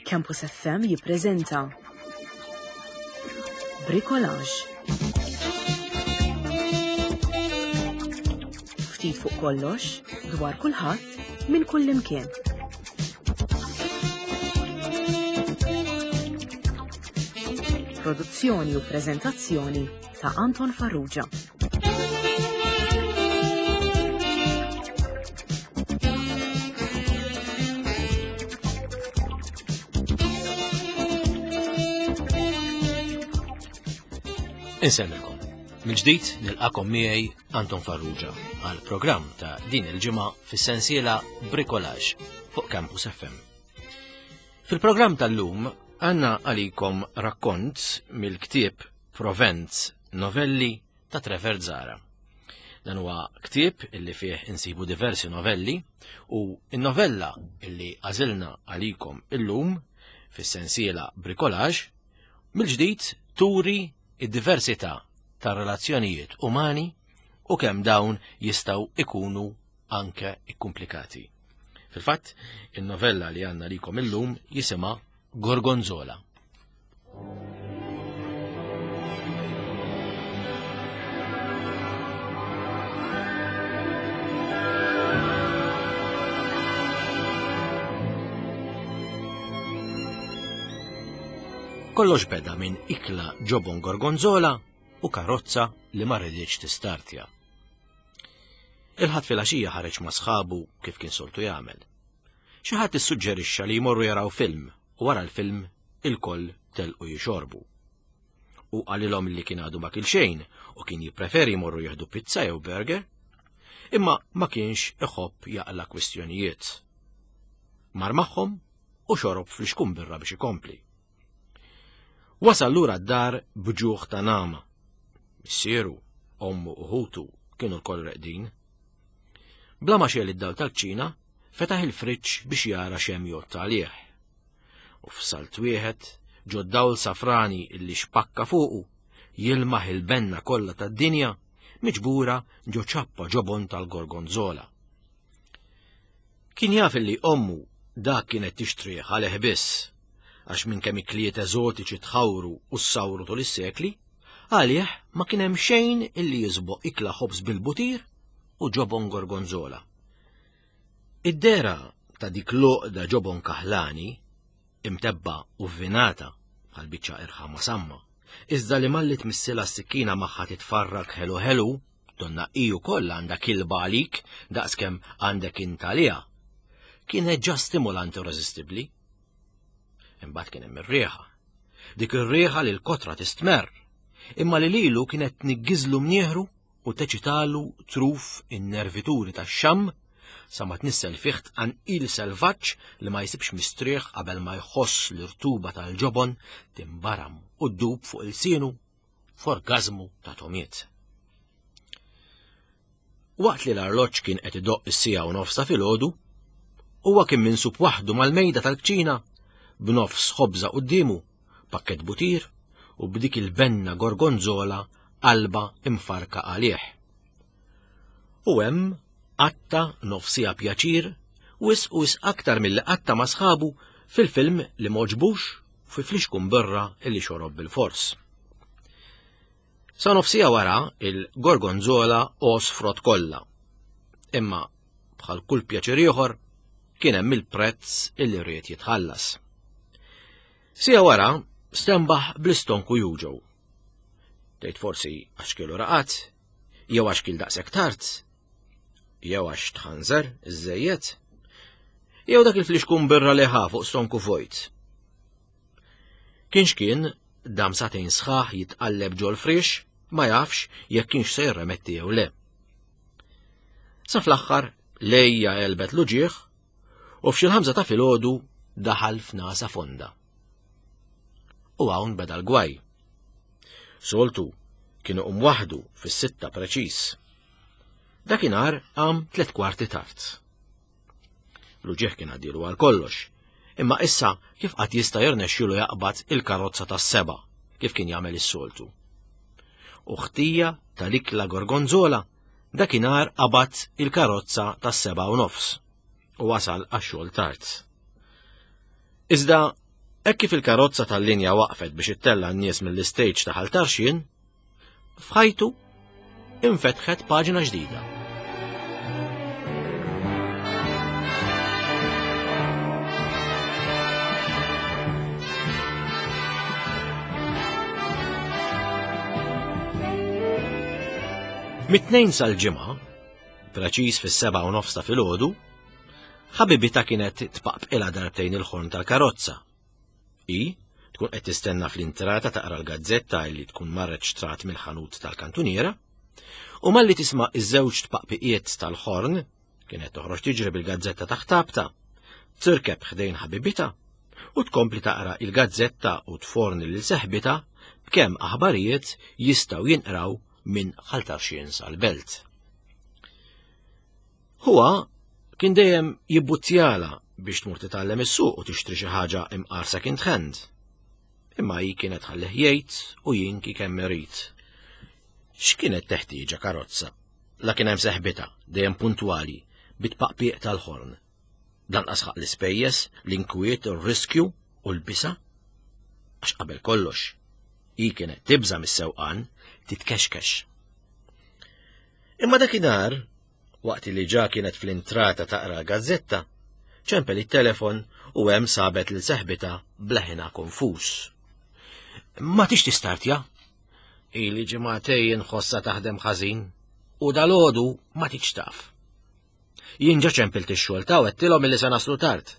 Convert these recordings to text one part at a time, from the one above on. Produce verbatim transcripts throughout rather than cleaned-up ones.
Campus F M jippreżenta Bricolage. Ftit fuq kollox, dwar kulħadd, minn kull imkien. Produzzjoni u preżentazzjoni ta' Anton Farrugia. Insellmilkom. Mill-ġdid nilqakom miegħi Anton Farrugia għal programm ta' din il-ġimgħa fis-sensiela Bricolage fuq Campus F M. Fil-programm tal-lum għandna għalikom rakkont mill-ktieb Provenz Novelli ta' Trevor Zahra. Dan huwa ktieb illi fih insibu diversi novelli u n-novella illi għażilna għalikom illum fis-sensiela Bricolage mill-ġdid turi id-diversità ta' relazzjonijiet umani u kemm dawn jistgħu ikunu anke ikkumplikati. Fil-fatt, in-novella li għandna likom illum jisimha Gorgonzola. Kollox beda minn ikla ġobon gorgonzola u karozza li ma rridx tistartja. Il-ħadd filgħaxija ħareġ ma' sħabu kif kien soltu jagħmel. Xi ħadd issuġġerixxa li jmorru jaraw film u wara l-film il-koll telqu jixorbu. U qalilhom li kien għadu ma kil xejn u kien jippreferi jmorru jieħdu pizza jew burger, imma ma kienx iħobb jaqla kwistjonijiet. Mar magħhom u xorob fl-ixkun birra biex ikompli. Wasal lura d-dar b'ġuħ ta' nama. Missieru, ommu u ħutu kienu lkoll reqdin. Bla ma xel id-dawl tal-kċina, fetaħ il-friġġ biex jara x'hemm jgħodd għalih. U f'salt wieħed, ġo dawl safrani illi xpakka fuqu, jilmaħ il-benna kollha tad-dinja miġbura ġo ċappa ġobon tal-gorgonzola. Kien jaf illi ommu dak kienet tixtrih għalih biss, għax minn kemm ikliet eżotiċi tħawru u ssawru tul is-sekli, għalih ma kien hemm xejn illi jisboq ikla ħobż bil-butir u ġobon gorgonzola. Id-dera ta' dik l-għoqda ġobon kaħlani, imtebba u vvinata bħal biċċa irħama samma, iżda li malli tmissila s-sikkina magħha titfarrak ħelu ħelu, donna hi wkoll għandha kilba għalik daqskemm għandek int għaliha, kienet ġa stimulanti u reżistibbli. Imbagħad kien hemm ir-riħa. Dik ir-riħa li l-kotra tistmerr, imma li lilu kienet tniggiżlu mnieħru u teċitalu truf in-nervituri tax-xamm sa ma tnissel fih tqanqil selvaġġ li ma jsibx mistrieħ qabel ma jħoss l-irtuba tal-ġobon timbaram u ddub fuq ilsienu f'orgażmu ta' tomiet. Waqt li l-arloġġ kien qed idoqq is-siegħa u nofs ta' filgħodu, huwa kien minsub waħdu mal-mejda tal-kċina b'nofs ħobża quddiemu, pakkett butir u b'dik il-benna gorgonzola qalba imfarka għalih. U hemm qatta nofsija pjaċir wisq u wisq aktar milli qatta ma' sħabu fil-film li m'għoġbux u fi flixkun birra illi xorob bil-fors. Sa nofsija wara il-gorgonzola għosfrot kollha. Imma bħal kull pjaċir ieħor kien hemm il-prezz illi ried jitħallas. Sija wara stenbaħ bl-istonku juġgħu. Tgħid forsi għax kielu raqat, jew għax kien daqshekk tard, jew għax tħanżer iżżejjed, jew dak il-flixkun birra li ħa fuq stonku vojt. Kienx kien dam sagħtejn sħaħ jitqalleb ġol frix, ma jafx jekk kienx se jirremetti jew le. Sa fl-aħħar lejja għelbet l-uġigħ u f'xi l-ħamsa ta' filgħodu daħal f'nasa fonda. U hawn beda l-gwaj. Soltu kienu qum waħdu fis-sitta preċiż. Dakinhar qam tliet kwarti tard. L-uġigħ kien għaddilu għal kollox, imma issa kif qatt jista' jirnexxielu jaqbad il-karozza tas-seba' kif kien jagħmel is-soltu. U ħtija tal-ikla gorgonzola dakinhar qabad il-karozza tas-seba' u nofs u wasal għax-xogħol tard. Iżda Hekk kif il-karozza tal-linja waqfet biex ittella' n-nies mill-istage ta' Ħal Tarxien, f'ħajtu infetħet paġna ġdida. Mit-tnejn sal-ġimgħa, preċiż fis-sebgħa u nofs ta' filgħodu, ħabibita kienet tpaqpqilha darbtejn il-ħorn tal-karozza. I tkun qed tistenna fl-intrata taqra l-gazzetta li tkun marret xtrat mill-ħanut tal-kantuniera, u malli tisma' iż-żewġ tpaqpiqiet tal-ħorn, kienet toħroġ tiġri bil-gazzetta taħt tabta, tirkeb ħdejn ħabibita u tkompli taqra il-gazzetta u tforni lil seħbita b'kemm aħbarijiet jistgħu jinqraw minn Ħal Tarxien sal-Belt. Huwa kien dejjem jibbuttjala biex tmur titgħallem is-suq u tixtri xi ħaġa imqar second hand. Imma hi kienet ħallih jgħid u jinki kemm irid. X'kienet teħtieġa karozza? La kien hemm seħbita, dejjem puntwali, bit-paqpiq tal-ħorn. Lanqas ħaq l-ispejjeż, l-inkwiet, ir-riskju u l-bisa. Għax qabel kollox, hi kienet tibża' mis-sewqan titkexkex. Imma dakinhar, waqt li ġa kienet fl-intrata taqra l-gazzetta, ċempel it-telefon u hemm sabet lil seħbita bleħina konfuż. Ma tix tistartja? Ili ġimgħatejn ħossa taħdem ħażin u dalodu ma tix taf. Jien ġa ċempilt ix-xogħol ta' għedtilhom illi se naslu tard.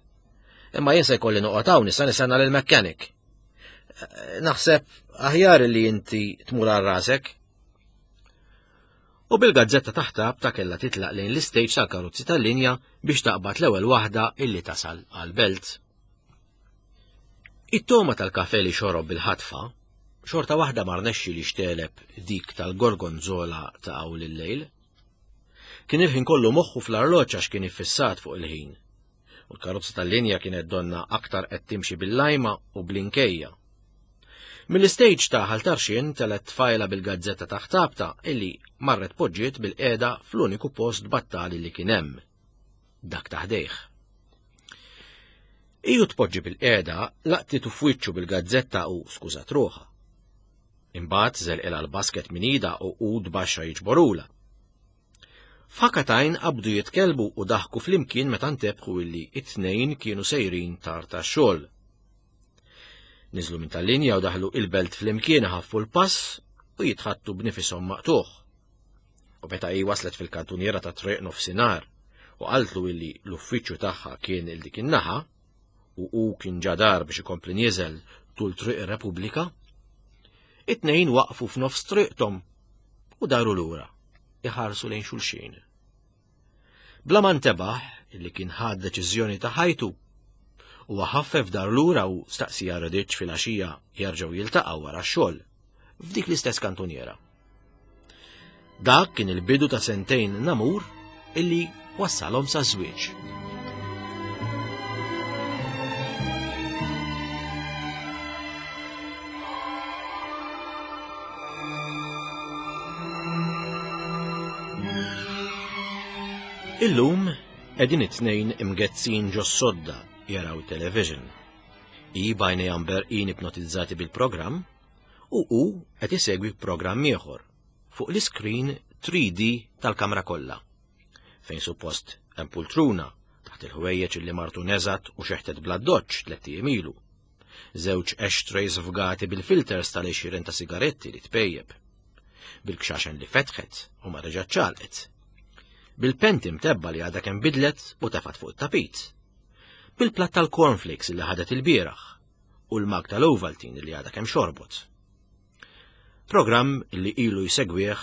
Imma jien se jkolli noqgħod hawn issa nistenna lill-mechanic. Naħseb aħjar li inti tmur għal rasek. U bil-gazzetta taħt ta' kellha titlaq lejn l-istage tal-karozzi tal-linja biex taqbad l-ewwel waħda illi tasal għall-belt. It-toma tal-kafe li xorob bil-ħatfa, xorta waħda ma rnexxi li xteleb dik tal-gorgonzola ta' hawn il-lejl. Kien il-ħin kollu moħħu fl-arloġġ għax kien iffissat fuq il-ħin. U l-karozza tal-linja kienet donna aktar qed timxi bil-lajma u bl-inkejja. Mill-istage ta' Ħal Tarxien telet tfajla bil-gazzetta taħt tabta illi marret poġġiet bil-qiegħda fl-uniku post battali li kien hemm, dak ta' ħdejh. Iju tpoġġi bil-qiegħda laqtitu f'wiċċu bil-gazzetta u skużat ruħha. Imbagħad żelqilha l-basket minn idha u qud baxxa jiġborula. F'ħakatajn qabdu jitkellbu u daħku flimkien meta ntebħu illi it-tnejn kienu sejrin tard tax-xogħol. Niżlu minn tal-linja u daħlu il-belt flimkien ħaffu l-pass u jitħattu b'nifishom maqtuħ. U meta hi waslet fil-kantuniera ta' triq nofsinhar u qaltlu illi l-uffiċċju tagħha kien il dik in-naħa u hu kien ġadar biex ikompli nieżel tul triq ir-Repubblika, it-tnejn waqfu f'nofs triqthom u daru lura iħarsu lejn xulxin. Bla ma ntebaħ illi kien ħad deċiżjoni ta' ħajtu, u ħaffef dar lura u staqsija rediċ fil-għaxija jerġgħu jiltaqgħu wara x-xogħol f'dik l-istess kantuniera. Dak kien il-bidu ta' sentejn namur illi wassalhom sa' żwieġ. Illum qegħdin it-tnejn imgezzin ġos-sodda jaraw television. I bajnejha mberqin ipnotizzati bil-programm u hu qed isegwi programm ieħor fuq l-iskrin three D tal-kamra kollha, fejn suppost hemm pultruna taħt il-ħwejjeġ li martu neżat u xeħtet bla doċċ tliet ijiem ilu. Żewġ ashtrays fgati bil-filters tal-għexieren ta' sigaretti li tpejjeb, bil-kxaxen li fetħet u ma reġgħet ċalqet, bil-penti mtebba li għadha kemm bidlet u tefat fuq it-tapit, bil-platt tal-cornflakes li ħadet il-bieraħ u l-mag tal-Ovaltine li għadha kemm xorbot. Programm li ilu jsegwih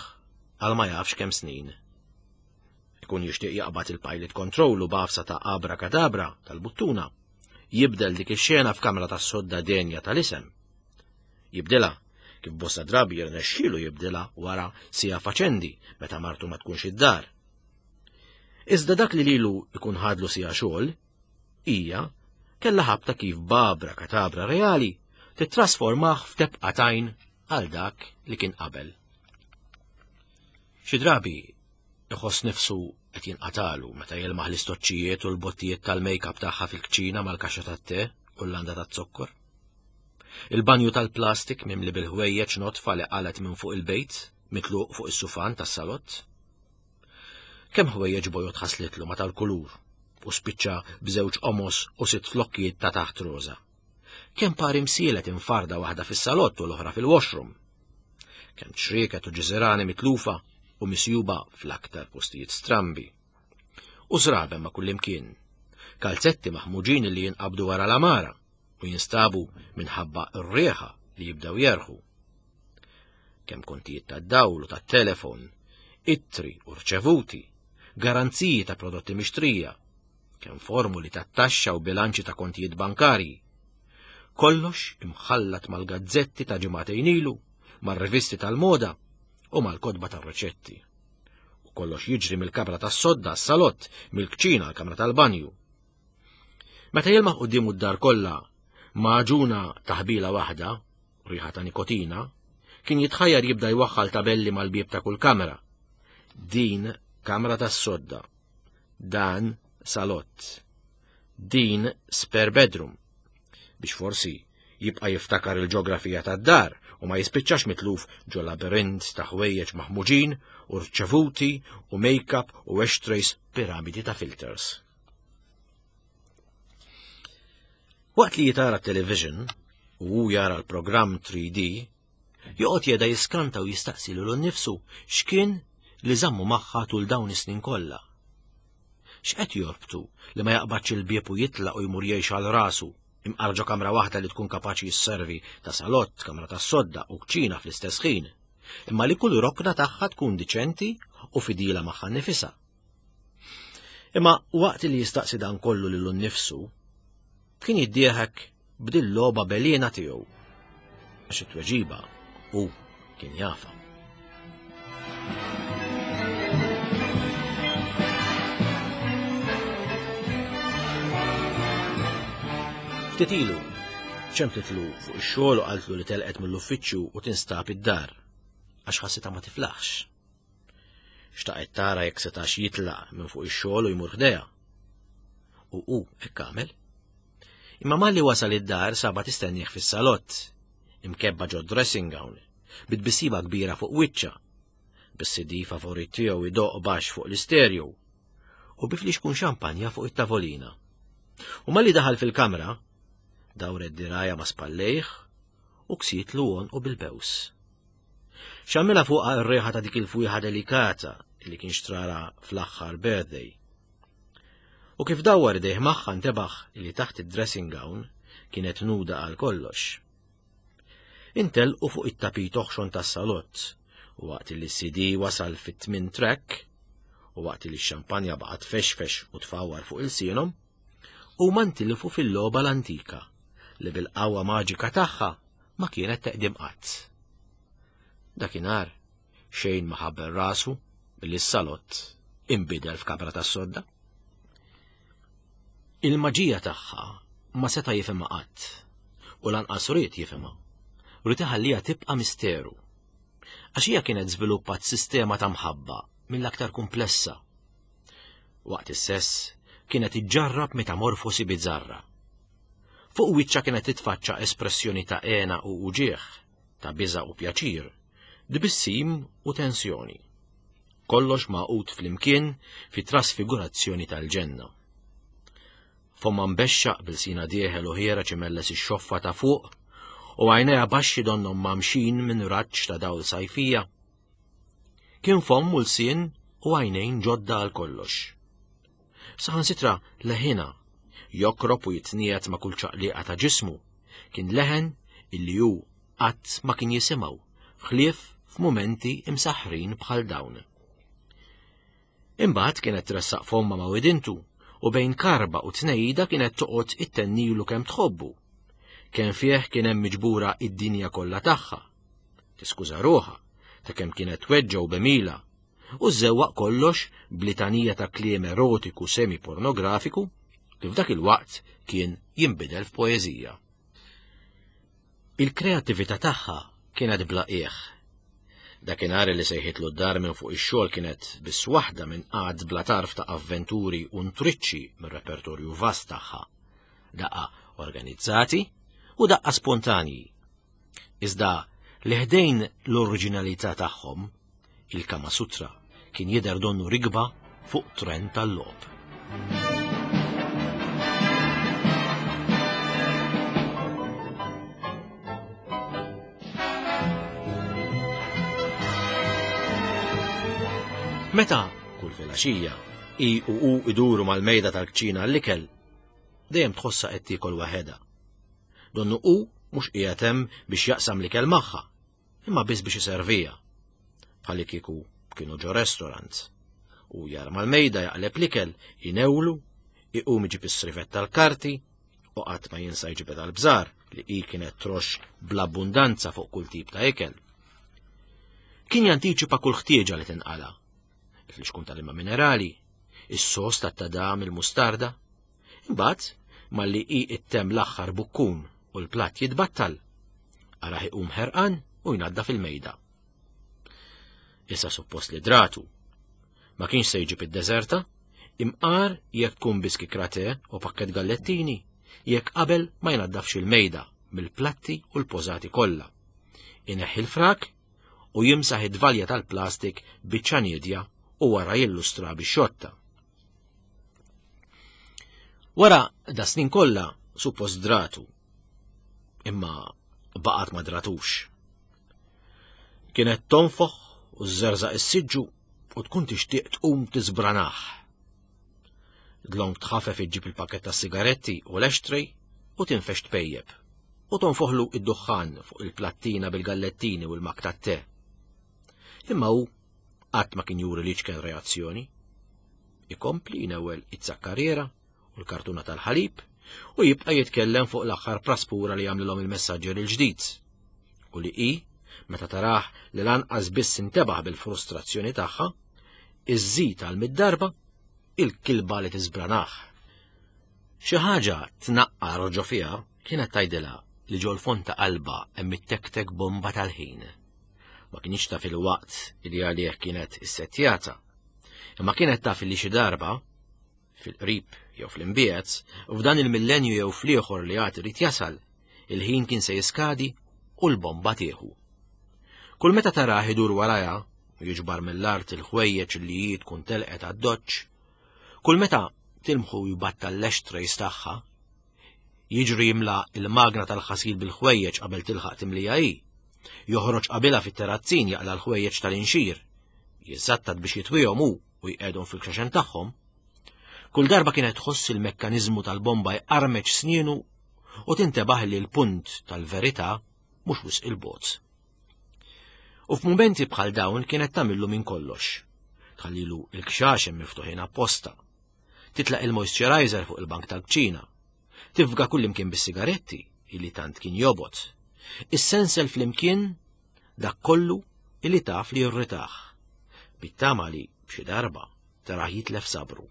għal ma jafx kemm snin. Ikun jixtieq jaqbad il-pilot control u b'għafsa ta' abra kadabra tal-buttuna, jibdel dik ix-xena f'kamra tas-sodda denja tal-isem. Jibdilha kif bosta drabi jirnexxielu jibdilha wara sija faċendi meta martu ma tkunx id-dar. Iżda dak li lilu ikun ħadlu sija xogħol, hija kellha ħabta kif babra katabra reali titrasformah f'tebqatajn għal dak li kien qabel. Xi drabi iħoss nifsu qed jinqatalu meta jelmaħ l-istoċċijiet u l-bottijiet tal-make-up tagħha fil-kċina mal-kaxxa tat-te u l-landa taz-zokkor. Il-banju tal-plastik mimli bil-ħwejjeġ notfa li qalet minn fuq il-bejt, mitluq fuq is-sufan tas-salott. Kemm ħwejjeġ bojod ħaslitlu ma tal-kulur u spiċċa b'żewġ qomos u sitt flokkijiet ta' taħt roża. Kemm pari msielet infarda waħda fis-salott u l-oħra fil-washroom. Kemm ċrieket u ġiżirani mitlufa u misjuba fl-aktar postijiet strambi. U żraben ma' kullimkien. Kalzetti maħmuġin li jinqabdu wara l-amara u jinstabu minħabba r-riħa li jibdew jerħu. Kemm kontijiet tad-dawl u tat-telefon, ittri u rċevuti, garanziji ta' prodotti mixtrija, kemm formuli tat-taxxa u bilanċi ta' kontijiet bankarji. Kollox imħallat mal-gazzetti ta' ġimagħtejn ilu, mar-rivisti tal-moda u mal-kotba tar-riċetti. U kollox jiġri mill-kamra tas-sodda għas-salott, mill-kċina għall-kamra tal-banju. Meta jilmaħ quddiemu d-dar kollha maġuna taħbila waħda, riħa ta' nikotina, kien jitħajjar jibda jwaħħal tabelli mal-bieb ta' kull kamra. Din kamra tas-sodda, dan salott, din spare bedroom, biex forsi jibqa' jiftakar il-ġeografija tad-dar u ma jispiċċax mitluf ġo labirint ta' ħwejjeġ maħmuġin u rċevuti u make-up u ashtrays piramidi ta' filters. Waqt li jitara t-television u hu jara l-programm three D, joqgħod jeda jiskanta u jistaqsi lilu nnifsu x'kien li żammu magħha tul dawn is-snin kollha. X'qed jorbtu li ma jaqbadx il-bieb u jitlaq u jmur jgħix għal rasu, imqar ġo kamra waħda li tkun kapaċi jisservi ta' salott, kamra tas-sodda u kċina fl-istess ħin, imma li kull rokna tagħha tkun diċenti u fidila magħha nnifisha. Imma waqt li jistaqsi dan kollu lilu nnifsu, kien jiddieħek b'dil logħba belina tiegħu, għax it-tweġiba hu kien jafa. Ftit ilu, ċemplitlu fuq ix-xogħol u qaltlu li telqet mill-uffiċċju u tinstab id-dar, għax ħassitha ma tiflaħx. Xtaqet tara jekk setax jitlaq minn fuq ix-xogħol u jmur ħdejha. U hu hekk għamel. Imma malli wasal id-dar saba tistennieh fis-salott, imkebba ġo dressing gown, bit-tbissima kbira fuq wiċċha, bis-C D favorit tiegħu idoq baxx fuq l-istereo u biflix kun xampanja fuq it-tavolina. U malli daħal fil-kamra, dawret diraja ma' spallejh u ksietlu għonqu bil-bews. Xammilha fuqha r-riħa ta' dik il-fwieħa delikata li kien xtrara fl-aħħar birthday. U kif dawwar idejh magħha ntebaħ li taħt id-dressing gown kienet nuda għal kollox. Intelqu fuq it-tapit oħxon tas-salott, u waqt li s-C D wasal fit-tmien track, u waqt li x-xampanja baqgħet fexfex u tfawwar fuq ilsienhom, huma ntilfu fil-logħba l-antika li bil-qawwa maġika tagħha ma kienet teqdim qatt. Dakinhar xejn ma ħabbel rasu billi s-salott inbidel f'kamra tas-sodda. Il-maġija tagħha ma seta' jifhimha qatt, u lanqas ried jifhimha, ried iħalliha tibqa' misteru. Għax hija kienet żviluppat sistema ta' mħabba mill-aktar komplessa. Waqt is-sess kienet iġġarrab metamorfosi bizzarra. Fuq wiċċha kienet titfaċċa espressjoni ta' għena u uġieħ, ta' biża' u pjaċir, tbissim u tensjoni. Kollox magħqud flimkien fi trasfigurazzjoni tal-ġenna. Fomma mbexxaq bil-sina dieħel u ħiereġ imelles ix-xoffa ta' fuq u għajnejha baxxi donnhom mamxin minn raġġ ta' dawl sajfija. Kien fomm u lsien u għajnejn ġodda għal kollox. Saħansitra leħina jokrob u jitniet ma' kull ċaqliqa ta' ġismu, kien leħen illi hu qatt ma kien jisimgħu, ħlief f'mumenti imsaħħrin bħal dawn. Imbagħad kienet tressaq fomma ma' widintu u bejn karba u tnejda kienet toqgħod ittennilu kemm tħobbu. Kemm fih kien hemm miġbura id-dinja kollha tagħha. Tiskuża ruħha ta' kemm kienet tweġġa u bemila u żewwaq kollox b'litanija ta' kliem erotiku semi-pornografiku li f'dak il-waqt kien jinbidel f'poeżija. Il-kreattività tagħha kienet bla qiegħ. Dakinhar li sejħitlu d-dar minn fuq ix-xogħol kienet biss waħda minn qagħad bla tarf ta' avventuri u ntriċċi mir-repertorju vast tagħha. Daqqa organizzati u daqqa spontanji. Iżda li ħdejn l-oriġinalità tagħhom, il-Kama Sutra kien jidher donnu rigba fuq tren tal-logħob. Meta kull filgħaxija i u u iduru mal-mejda tal-kċina l-ikel, dejjem tħossha qed tiekol waħedha. Donnu u mhux qiegħed hemm biex jaqsam l-ikel magħha, imma biss biex iservija. Bħalli kieku kienu ġo restaurant. U jar mal-mejda jaqleb l-ikel, inewlu, iqum iġib is-srifett tal-karti, u qatt ma jinsa jġibed għall-bżar li hi kienet trox bl-abbundanza fuq kull tip ta' ikel. Kien jantiċipa kull ħtieġa li tinqala. Il-fliexkun tal-ilma minerali, is-sos tat-tadam, il-mustarda. Imbagħad malli hi ittem l-aħħar bukkun u l-platt jitbattal, araħ iqum ħerqan u jnaddaf il-mejda. Issa suppost li dratu. Ma kienx se jġib id-deżerta, imqar jekk tkun biski krate u pakket gallettini, jekk qabel ma jnaddafx il-mejda mill-platti u l-pożati kollha. Ineħħi l-frak u jimsaħ id-dvalja tal-plastik biċċa niedja u wara jillustra bix-xotta. Wara da snin kollha suppost dratu, imma baqgħet ma dratux. Kienet tonfoħ u żżerżaq is-siġġu u tkun tixtieq tqum tiżbranaħ. Dlonk tħafef iġġib il-pakket tas-sigaretti u l-ashtray u tinfex tpejjeb u tonfoħlu id-duħħan fuq il-plattina bil-gallettini u l-mak tat-te. Imma hu qatt ma kien juri li ċken reazzjoni. Ikompli jnewwel it-zakkarriera u l-kartuna tal-ħalib u jibqa' jitkellem fuq l-aħħar praspura li jagħmlilhom il-messaġġer il-ġdid. U li hi, meta taraħ li lanqas biss intebaħ bil-frustrazzjoni tagħha, iżżid għal mid-darba il-kilba li tiżbranaħ. Xi ħaġa tnaqqar ġo fiha kienet tgħidilha li ġol fond ta' qalba hemm it-tektek bomba tal-ħin. Ma kienx taf il-waqt li għalih kienet issettjata, imma kienet taf li xi darba, fil-qrib jew fl-imbiegħed, u f'dan il-millenju jew fl-ieħor li għad irid jasal, il-ħin kien se jiskadi u l-bomba tieħu. Kull meta tarah idur warajha u jiġbar mill-art il-ħwejjeġ li hi tkun telqet għad-doċċ, kull meta tilmħu jbattal l-ashtrays tagħha, jiġri jimla il-magna tal-ħasil bil-ħwejjeġ qabel tilħaq timlija hi, joħroġ qabilha fit-terrazzin jaqla l-ħwejjeġ tal-inxir, jiżżattat biex jitwihom hu u jqegħdhom fil-kxaxen tagħhom. Kull darba kienet tħoss il-mekkaniżmu tal-bomba jqarmeċ snienu u tintebaħ li l-punt tal-verità mhux wisq il-bogħod. U f'mumenti bħal dawn kienet tagħmillu minn kollox. Tħallilu l-kxaxen miftuħin apposta, titlaq il-moisturizer fuq il-bank tal-kċina, tifga kullimkien bis-sigaretti illi tant kien jobot, is-sensel flimkien dak kollu illi taf li jirritaħ, bit-tama li b'xi darba taraħ jitlef sabru.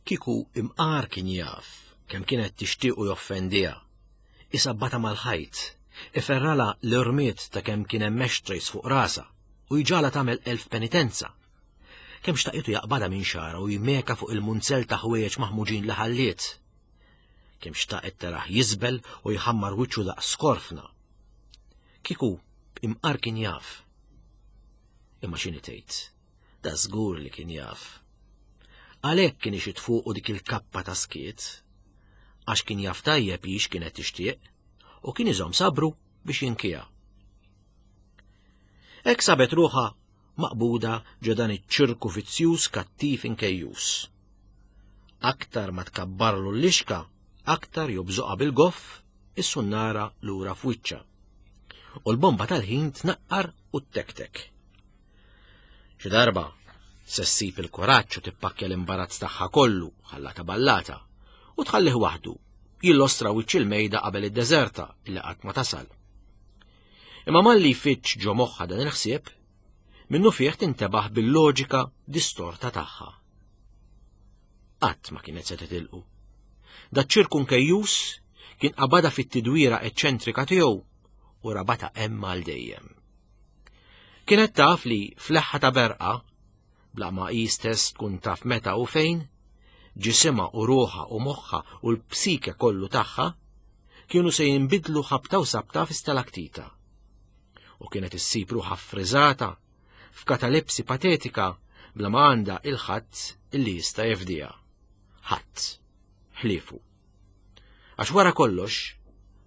Kieku imqar kien jaf kemm kienet tixtiequ joffendiha, isabbata mal-ħajt, iferrala l-irmiet ta' kemm kien hemm ashtrays fuq rasa u jġala tagħmel elf penitenza. Kemm xtaqitu jaqbadha minn xara u jmeka fuq il-munzel ta' ħwejjeġ maħmuġin li ħalliet. Kemm xtaqet taraħ jiżbel u jħammar wiċċu daqs skorfna. Kieku imqar kien jaf. Imma x'inhi tgħid? Da żgur li kien jaf. Għalhekk kien ixit fuqu dik il-kappa ta' skiet, għax kien jaf tajjeb hix kienet tixtieq u kien iżomm sabru biex jinkija. Hekk sabet ruħha maqbuda ġo dan iċ-ċirku vizzjuż kattiv inkejjus. Aktar ma tkabbarlu l-lixka, aktar jobżoqha bil-goff is-sunnara lura f'wiċċha. U l-bomba tal-ħin tnaqqar u t-tektek. Xi darba se ssib il-kuraġġ u tippakkja l-imbarazz tagħha kollu ħallata ballata u tħallih waħdu jillostra wiċċ il-mejda qabel id-deżerta illi qatt ma tasal. Imma malli jfittx ġo moħħha dan il-ħsieb, minnu fih tintebaħ bil-loġika distorta tagħha. Qatt ma kienet se titilqu. Daċ-ċirku nkejjus kien qabadha fit-tidwira eċċentrika tiegħu u rabata hemm għal dejjem. Kienet taf li fl-eħħa ta' berqa, bla ma hi stess tkun taf meta u fejn, ġisimha u ruħha u moħħha u l-psike kollu tagħha kienu se jinbidlu ħabta u sabta fi stalaktita. U kienet issib ruħha ffriżata f'katalepsi patetika bla ma għandha il-ħadd illi jista' jefdiha. Ħadd. Ħliefu. Għax wara kollox,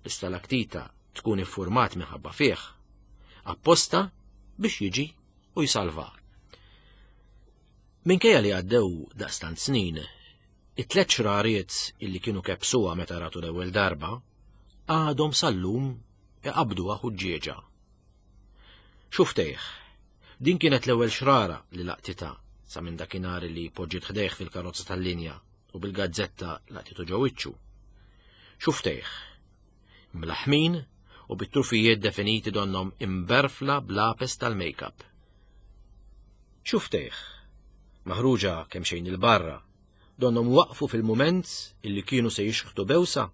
l-istalaktita tkun iffurmat minħabba fih, apposta biex jiġi u jsalva. Minkejja li għaddew daqstant snin, it-tliet xrariet illi kienu kebsuha meta ratu l-ewwel darba, għadhom sal-lum iqabduha ħuġġieġa. Xuftejh, din kienet l-ewwel xrara li laqtitha sa minn dakinhar li poġġiet ħdejh fil-karozza tal-linja u bil-gazzetta laqtitu ġo wiċċu. Xuftejh, mlaħmin u bit-trufijiet definiti donhom imberfla b'lapes tal-make-up. Xuftejh, maħruġa kemm xejn il-barra, donhom waqfu fil-mument illi kienu se jixħtu bewsa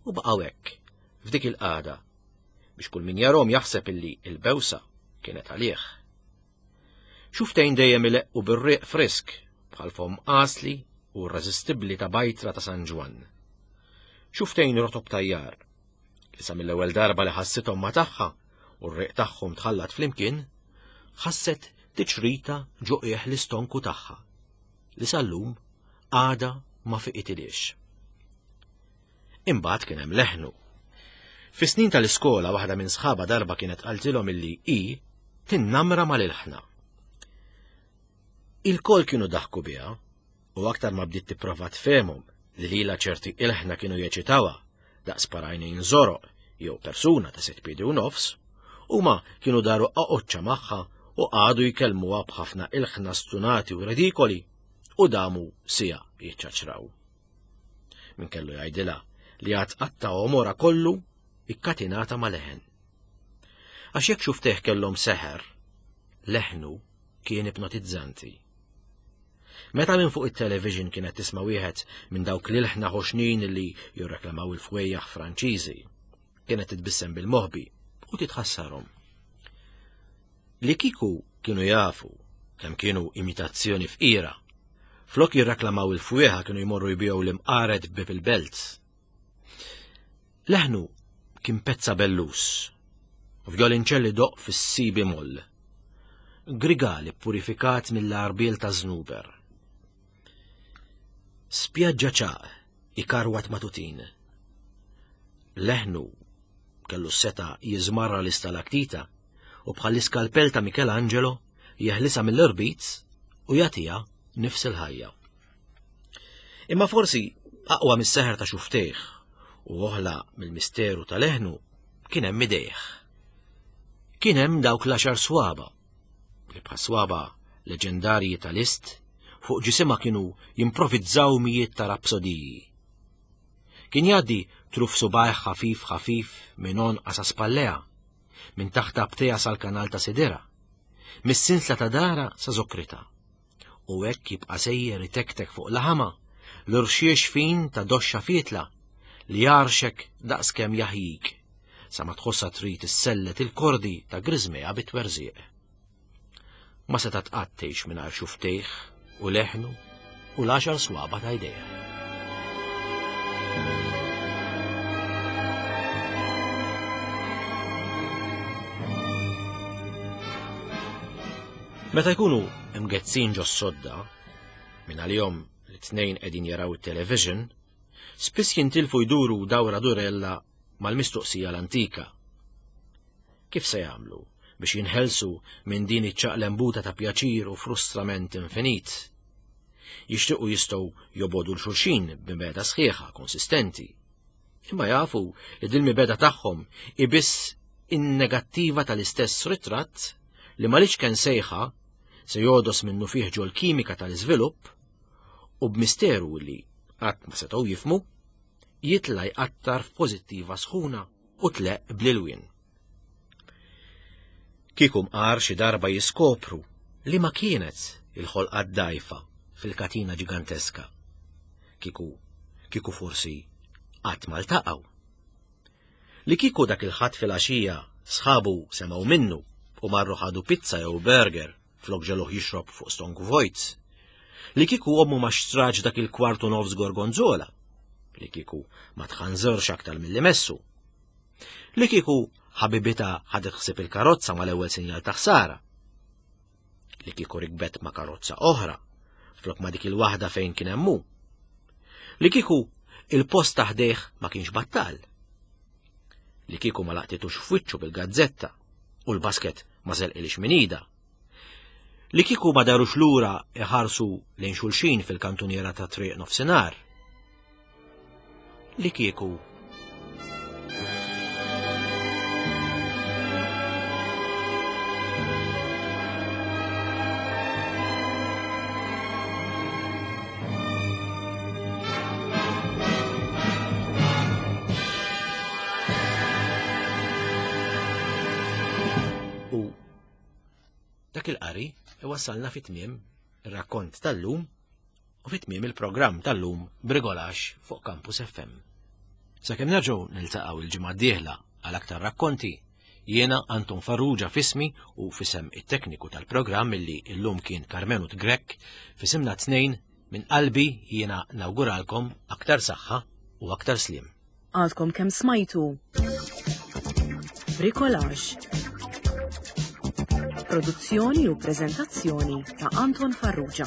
u baqgħu hekk f'dik il-qagħda biex kull min jarhom jaħseb illi il-bewsa kienet għalih. Xuftejn dejjem ileqqu bir-riq frisk bħal fom qasli u irreżistibbli ta' bajtra ta' San Ġwann. Xuftejn rotob tajjar, li sa mill-ewwel darba li ħassithom ma' tagħha u r-riq tagħhom tħallat flimkien, ħasset tiċrita ġo qiegħ l-istonku tagħha, li sal-lum għada ma fiqitilix. Imbagħad kien hemm leħnu. Fis-snin tal-iskola waħda minn sħaba darba kienet qaltilhom illi hi tinnamra mal-ilħna. Il-kol kienu daħku biha u aktar ma bdiet tipprova tfehmhom li lilha ċerti ilħna kienu jeċitawha daqs parajnejn żoroq jew persuna ta' sitt piedi u nofs, huma kienu daru qaqoċċa magħha u qagħdu jkellmuha b'ħafna ilħna stunati u redikoli u damu sija jiċċaċraw. Min kellu jgħidilha li għad qatta' għomorha kollu ikkatinata ma' leħen. Għax jekk xuftejh kellhom seħer, leħnu kien ipnotizzanti. Meta minn fuq it-television kienet tisma' wieħed minn dawk l-ilħna ħoxnin li jirreklamaw il-fwejjaħ Franċiżi, kienet titbissem bil-moħbi u titħassarhom. Li kieku kienu jafu kemm kienu imitazzjoni fqira, flok jirreklamaw il-fwieħa kienu jmorru jbigħu l-imqaret bib il-belt. Leħnu kien pezza bellus, u vjolinċelli doq fis-si bemol, grigali purifikat mill-arbiel ta' żnuber. Spjaġġa ċaq ikarwat matutin. Leħnu kellu s-seta jiżmarra l-istalaktita u bħall-iskalpell ta' Michelangelo jeħlisa mill-irbit u jagħtiha nifs il-ħajja. Imma forsi aqwa mis-seħer ta' xuftejh u oħla mill-misteru ta' leħnu kien hemm idejh. Kien hemm dawk l-għaxar swaba li bħal swaba leġendarji tal-ist fuq ġisimha kienu jimprovizzaw mijiet ta' rapsodiji. Kien jgħaddi truf subajh ħafif ħafif minn għonqha sa spallejha, minn taħt abtejha sal-kanal ta' sidira, mis-sinsla ta' dara sa zokrita. U hekk jibqa' sejjer itektek fuq laħama l-irxiex fin ta' doxxa fietla li jarxek daqskemm jaħjik, sa ma tħossha trid issellet il-kordi ta' griżmejha bit-twerżieq. Ma setgħet qatt tgħix mingħajr xuftejh u leħnu u l-għaxar swaba ta' jdejh. Meta jkunu imgezzin ġo s-sodda, minn għalihom li tnejn qegħdin jaraw it-television, spiss jintilfu jduru dawra durella mal-mistoqsija l-antika. Kif se jagħmlu biex jinħelsu minn din iċ-ċaqlembuta ta' pjaċir u frustrament infinit? Jixtiequ jistgħu jobodu l-xulxin b'mibeda sħiħa konsistenti. Imma jafu li din mibeda tagħhom hi biss in-negattiva tal-istess ritratt li mal-iċken sejħa se jodos minnu fih ġol kimika tal-iżvilupp u b'misteru li qatt ma setgħu jifhmu jitla' jqattar f'pożittiva sħuna u tleq bl-ilwien. Kieku mqar xi darba jiskopru li ma kienet il-ħolqa d-dajfa fil-katina ġiganteska. Kieku, kieku forsi qatt ma ltaqgħu. Li kieku dak il-ħadd fil-għaxija sħabu semgħu minnu u marru ħadu pizza jew burger flok ġeluh jixrob fuq stonku vojt. Li kieku ommu ma xtraġ dak il-kwartu nofs gorgonzola. Li kieku ma tħanżerx aktar milli messu. Li kieku ħabibitha ħadet ħsieb il-karozza mal-ewwel sinjal ta' ħsara. Li kieku rikbet ma' karozza oħra, flok ma' dik il-waħda fejn kien hemm hu. Li kieku il-post ta' ħdejh ma kienx battal. Li kieku ma laqtitux f'wiċċu bil-gazzetta u l-basket ma żelqilix minn idha. Li kieku ma darux lura iħarsu lejn xulxin fil-kantuniera ta' triq nofsinhar. Li kieku U dak il-qari iwassalna fi tmiem ir-rakkont tal-lum u fi tmiem il-programm tal-lum Brigolax fuq Campus F M. Sakemm nerġgħu niltaqgħu il-ġimgħa d-dieħla għal aktar rakkonti, jiena Anton Farrugia fismi u fisem it-tekniku tal-programm illi llum kien Karmenu Grech, fisimna tnejn minn qalbi jiena nawguralkom aktar saħħa u aktar slim. Għadkom kemm smajtu Bricolage. Produzzjoni u preżentazzjoni ta' Anton Farrugia.